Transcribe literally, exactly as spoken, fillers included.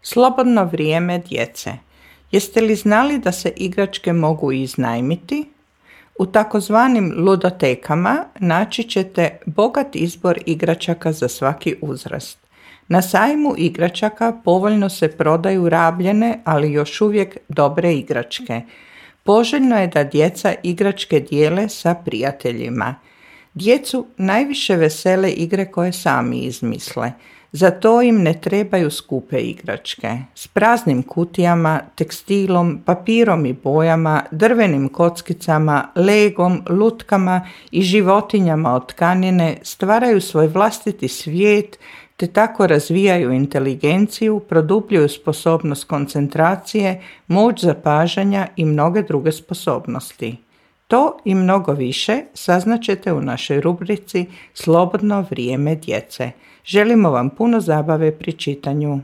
Slobodno vrijeme djece. Jeste li znali da se igračke mogu iznajmiti? U takozvanim ludotekama naći ćete bogat izbor igračaka za svaki uzrast. Na sajmu igračaka povoljno se prodaju rabljene, ali još uvijek dobre igračke. Poželjno je da djeca igračke dijele sa prijateljima. Djecu najviše vesele igre koje sami izmisle. Za to im ne trebaju skupe igračke. S praznim kutijama, tekstilom, papirom i bojama, drvenim kockicama, legom, lutkama i životinjama od tkanine stvaraju svoj vlastiti svijet te tako razvijaju inteligenciju, produbljuju sposobnost koncentracije, moć zapažanja i mnoge druge sposobnosti. To i mnogo više saznaćete u našoj rubrici Slobodno vrijeme djece. Želimo vam puno zabave pri čitanju.